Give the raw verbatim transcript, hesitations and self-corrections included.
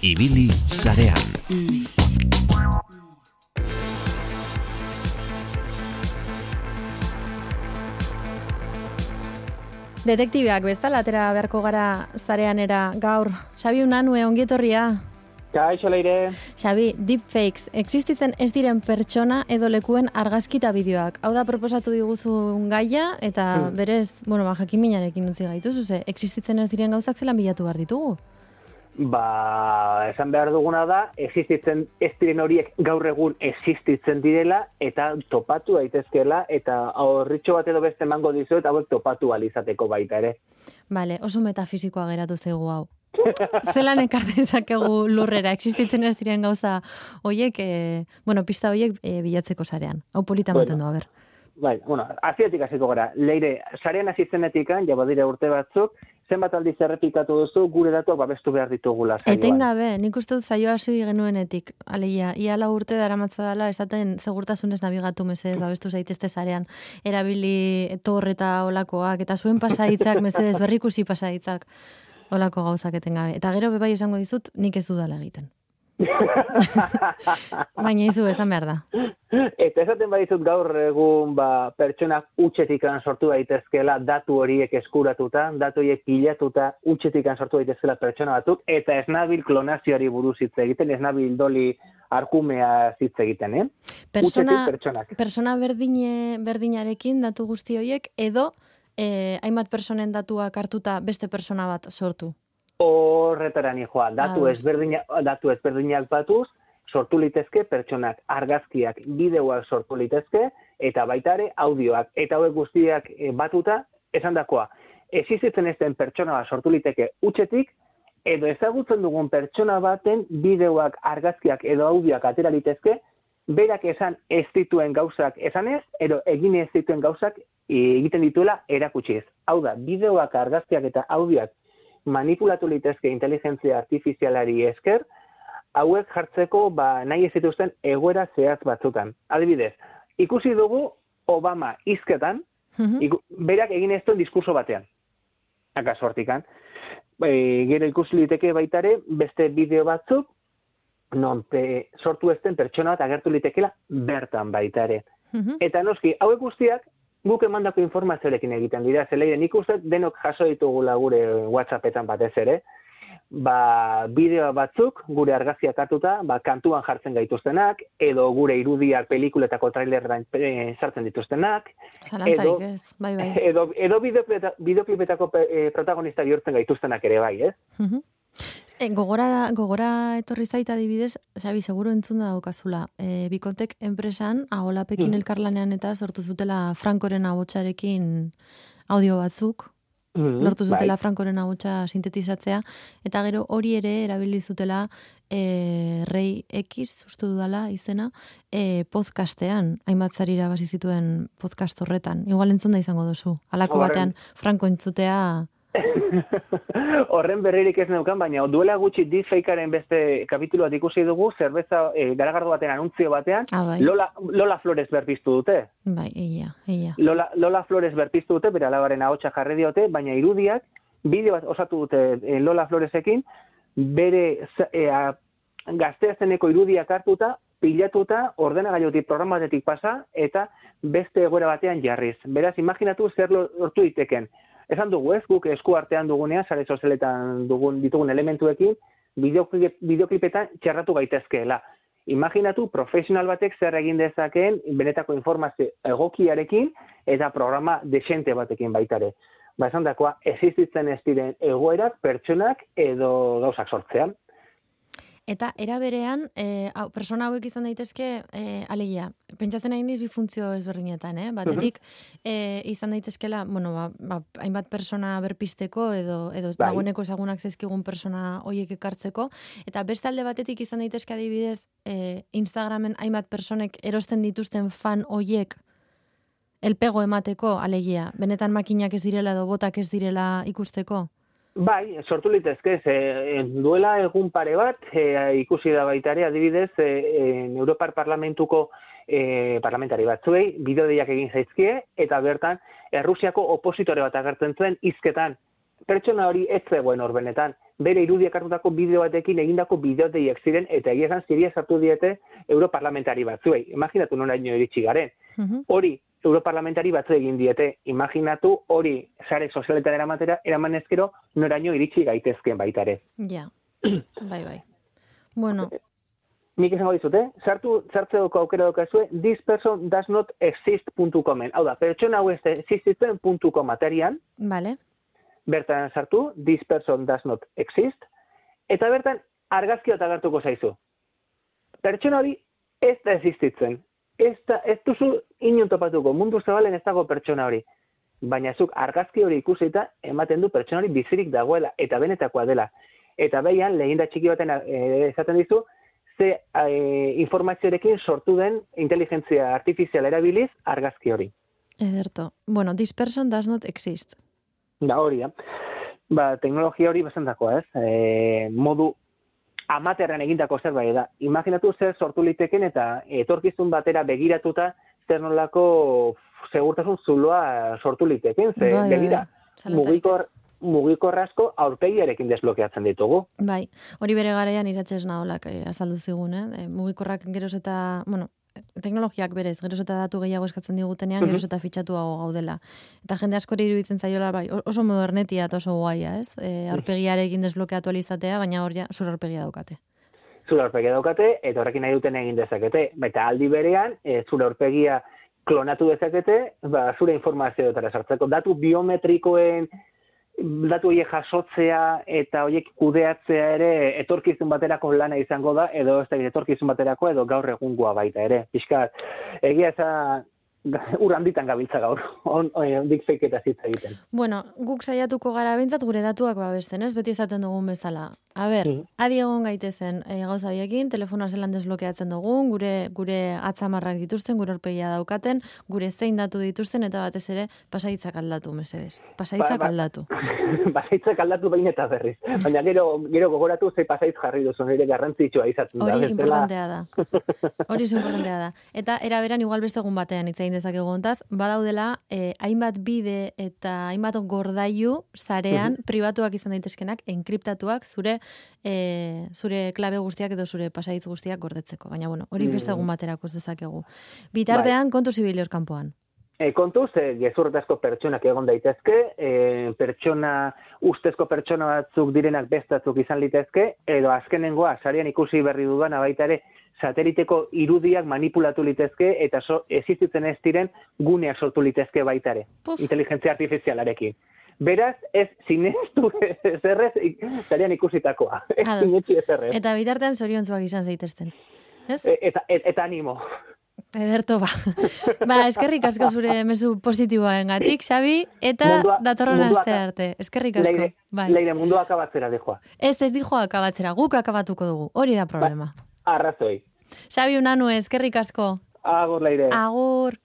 Ibili sarean. Detektibeak bezala atera beharko gara zareanera gaur. Xabi Unanue, ongi etorria. Kaixo Leire. Xabi, deepfakes, existitzen ez diren pertsona edo lekuen argazkita bideoak. Hau da proposatu diguzun gaia eta hmm. berez, bueno, ba, jakiminarekin utzi gaituzu, ze existitzen ez diren gauzak zelan bilatu behar ditugu? Ba, esan behar duguna da, existitzen ez diren horiek gaur egun existitzen direla eta topatu daitezkeela eta horritxo bat edo beste emango dizuet hauek topatu alizateko baita ere. Bale, oso metafizikoa geratu zaigu hau. Zelan ekartzen zakegu lurrera, existitzen ez diren gauza horiek, e, bueno, pista horiek e, bilatzeko sarean. Hau polita maten bueno, du, a ber. Bai, bueno, azietik hasiko gara. Leire, sarean azitzenetikan, ja badire urte batzuk, zenbat aldiz errepikatu duzu, gure datuak babestu behar ditugula saioan. Etengabe, nik uste dut zaio hasi genuenetik. Alegia, ia lau urte daramatza dela, esaten segurtasunez nabigatu mesedez babestu zaitezte sarean. Erabili tor eta olakoak, eta zuen pasaditzak, mesedez berrikusi pasaditzak. Olako gauzak etengabe. Eta gero bebai esango dizut, nik ez dudala egiten. Baina izu esan behar da. Eta esaten badizut gaur egun ba, pertsonak utxetikan sortu daitezkela datu horiek eskuratuta, datu horiek pilatuta utxetikan sortu daitezkela pertsona batzuk, eta ez nabil klonazioari buruz hitz egiten, ez nabil doli arkumea hitz egiten, eh? Persona, persona berdine, berdinarekin datu guzti horiek, edo eh, hainbat personen datuak hartuta beste persona bat sortu. Horretara nijoa, datu ezberdinak, datu ezberdinak batuz, sortu litezke pertsonak, argazkiak, bideoak sortu litezke, eta baita ere audioak. Eta hauek guztiak batuta, esan dakoa, existitzen ez den pertsona bat sortu liteke utxetik, edo ezagutzen dugun pertsona baten bideoak, argazkiak edo audioak atera litezke, berak esan ez dituen gauzak esanez, edo egin ez dituen gauzak egiten dituela erakutsiz. Hau da, bideoak, argazkiak eta audioak manipulatu litezke inteligentzia artifizialari esker, hauek jartzeko ba, nahi ez dituzten egoera zehaz batzutan. Adibidez, ikusi dugu Obama hizketan, mm-hmm. iku, berak egin ez duen diskurso batean. Akaso hortikan. E, gero ikusi liteke baitare beste bideo batzuk, non pe, sortu ezten pertsona bat agertu litekela bertan baitare. Mm-hmm. Eta noski, hauek guztiak, guk emandako informazioarekin egiten dira, zeleire nik uste denok jaso ditugula gure WhatsAppetan batez ere, ba, bideo batzuk gure argazkiak hartuta, ba, kantuan jartzen gaituztenak, edo gure irudiak pelikuletako trailerran e, sartzen dituztenak, edo, ez, bai, bai. edo, edo bideoklipetako e, protagonista bihurtzen gaituztenak ere bai, ez? Uh-huh. E, gogora, gogora etorri zaita adibidez, Xabi, seguro entzun da daukazula. E, Bikotek enpresan, aholapekin mm. elkarlanean eta sortu zutela Frankoren ahotsarekin audio batzuk, mm, lortu zutela bai. Frankoren ahotsa sintetizatzea, eta gero hori ere erabili zutela e, Rei X, uste dudala izena, e, podcastean, hainbat zarira basi zituen podcast horretan. Igual entzun da izango duzu. Halako batean Franko entzutea... Horren berririk ez neukan, baina duela gutxi deepfakearen beste kapitulu bat ikusi dugu, zerbeza e, garagardo batean, anuntzio batean, ah, bai. Lola, Lola Flores berpiztu dute. Bai, eia, eia. Lola, Lola Flores berpiztu dute, bere alabaren ahotsa jarri diote, baina irudiak, bideo bat osatu dute e, Lola Floresekin, bere e, a, gazteazeneko irudiak hartuta, pilatuta, ordenagailutik programatetik pasa, eta beste egoera batean jarriz. Beraz, imaginatu zer lortu diteken. Esan dugu ez, guk esku artean dugunean, sare sozialetan dugun, ditugun elementuekin, bideoklip, bideoklipetan txerratu gaitezkeela. Imaginatu profesional batek zer egin dezakeen benetako informazio egokiarekin eta programa desente batekin baitare. Ba, esan dakoa, existitzen ez diren egoerak, pertsonak edo gauzak sortzean. Eta era berean, e, hau, persona hauek izan daitezke, e, alegia, pentsatzen nahi niz bi funtzio ezberdinetan, eh? Batetik, e, izan daitezkela, bueno, ba, ba, hainbat persona berpisteko, edo, edo bai. Dagoeneko ezagunak zaizkigun persona horiek ekartzeko, eta beste alde batetik izan daitezke adibidez, e, Instagramen hainbat personek erosten dituzten fan horiek elpego emateko, alegia, benetan makinak ez direla edo botak ez direla ikusteko? Bai, sortu litezke, e, duela egun pare bat, e, ikusi da baitare, adibidez, e, e, Europar Parlamentuko e, parlamentari batzuei, bideo deiak egin zaizkie, eta bertan, Errusiako opositore bat agertzen zuen hizketan. pertsona hori ez zegoen hor benetan. Bere irudiak hartutako bideo batekin egindako bideoteiek ziren, eta egia esan ziria sartu diete europarlamentari batzuei. Imaginatu noraino iritsi garen. Mhm. Hori, europarlamentari batzu egin diete. Imaginatu hori sare sozialetan eramatera, eraman ezkero noraino iritsi gaitezken baita ere. Ja, bai, bai. Bueno, Nik esango dizute, sartu, sartzeko aukera daukazue, this person does not exist puntu comen. Hau da, pertsona hau ez existitzen puntu com aterian, vale. bertan sartu, this person does not exist, eta bertan argazki bat agertuko zaizu. Pertsona hori ez da existitzen. Ez, da, ez duzu inon topatuko, mundu zabalen ez dago pertsona hori. Baina zuk argazki hori ikusita ematen du pertsona hori bizirik dagoela, eta benetakoa dela. Eta behian, lehinda txiki baten e, esaten dizu, ze e, informazioarekin sortu den inteligentzia artifizial erabiliz argazki hori. Ederto. Bueno, this person does not exist. Da hori, da. Ba, teknologia hori bezantakoa, ez? E, modu amaterran egindako zerbait da. Imaginatu zer sortu liteken eta etorkizun batera begiratuta zer nolako segurtasun zuloa sortu liteken. Ze, bai, begira, bai. mugikor, mugikor asko aurpegiarekin desblokeatzen ditugu. Bai, hori bere garaian iratxez naholak eh, azaldu zigun, eh? E, mugikorrak geroz eta, bueno, teknologiak berez, geroz eta datu gehiago eskatzen digutenean, geroz eta fitxatuago gaudela. Eta jende askori iruditzen zaiola, bai, oso modernetia eta oso guaia, ez? E, aurpegiarekin desblokeatu alizatea, baina hor ja, zure aurpegia daukate. Zure aurpegia daukate, eta horrekin nahi duten egin dezakete. Eta aldi berean, e, zure aurpegia klonatu dezakete, ba, zure informazioetara sartzeko. Datu biometrikoen, datu horiek jasotzea eta horiek kudeatzea ere etorkizun baterako lana izango da, edo ez da etorkizun baterako, edo gaur egungoa baita ere. Piskat, egia eza ur handitan gabiltza gaur, on, on, dik feiketa zitza egiten. Bueno, guk saiatuko gara bintzat gure datuak babesten, ez? Beti esaten dugun bezala. A ber, mm. adi egon gaitezen e, gauza biekin, telefonoa zelan desblokeatzen dugun, gure gure atzamarrak dituzten, gure aurpegia daukaten, gure zein datu dituzten, eta batez ere pasaitzak aldatu, mesedez. Pasaitzak ba, ba, aldatu. Pasaitzak aldatu behin eta berriz. Baina gero, gero gogoratu ze pasaitz jarri duzu, nire garrantzitsua izaten da. Hori importantea da. Hori importantea da. Eta eraberan igual beste egun batean itzain dezakegu hontaz, badaudela eh, hainbat bide eta hainbat gordailu sarean uh-huh. pribatuak izan daitezkenak, enkriptatuak zure eh, zure klabe guztiak edo zure pasahitz guztiak gordetzeko. Baina bueno, hori beste egun baterako ez dezakegu. Bitartean bai. Kontu zibili hor kanpoan. E, kontuz, e, gezurretazko pertsonak egon daitezke, e, pertsona, ustezko pertsona batzuk direnak bestatzuk izan litezke, edo azkenengoa, sarean ikusi berri dudan, baita ere, sateliteko irudiak manipulatu litezke, eta so, existitzen ez diren guneak sortu litezke baita ere, inteligentzia artifizialarekin. Beraz, ez sinestu zerrez, sarean ikusitakoa. Ez sinetxi zerrez. Eta bitartean zoriontzuak izan zeitezten. Ez? E, eta, et, eta animo. Ederto, ba. Ba, eskerrik asko zure mezu positiboarengatik, Xabi, eta mundua, datorren aste arte. Eskerrik asko. Leire, bai. leire mundua akabatzera dijoa. Ez, ez dijoa akabatzera, guk akabatuko dugu. Hori da problema. Ba, arrazoi. Xabi Unanue, eskerrik asko. Agur, Leire. Agur.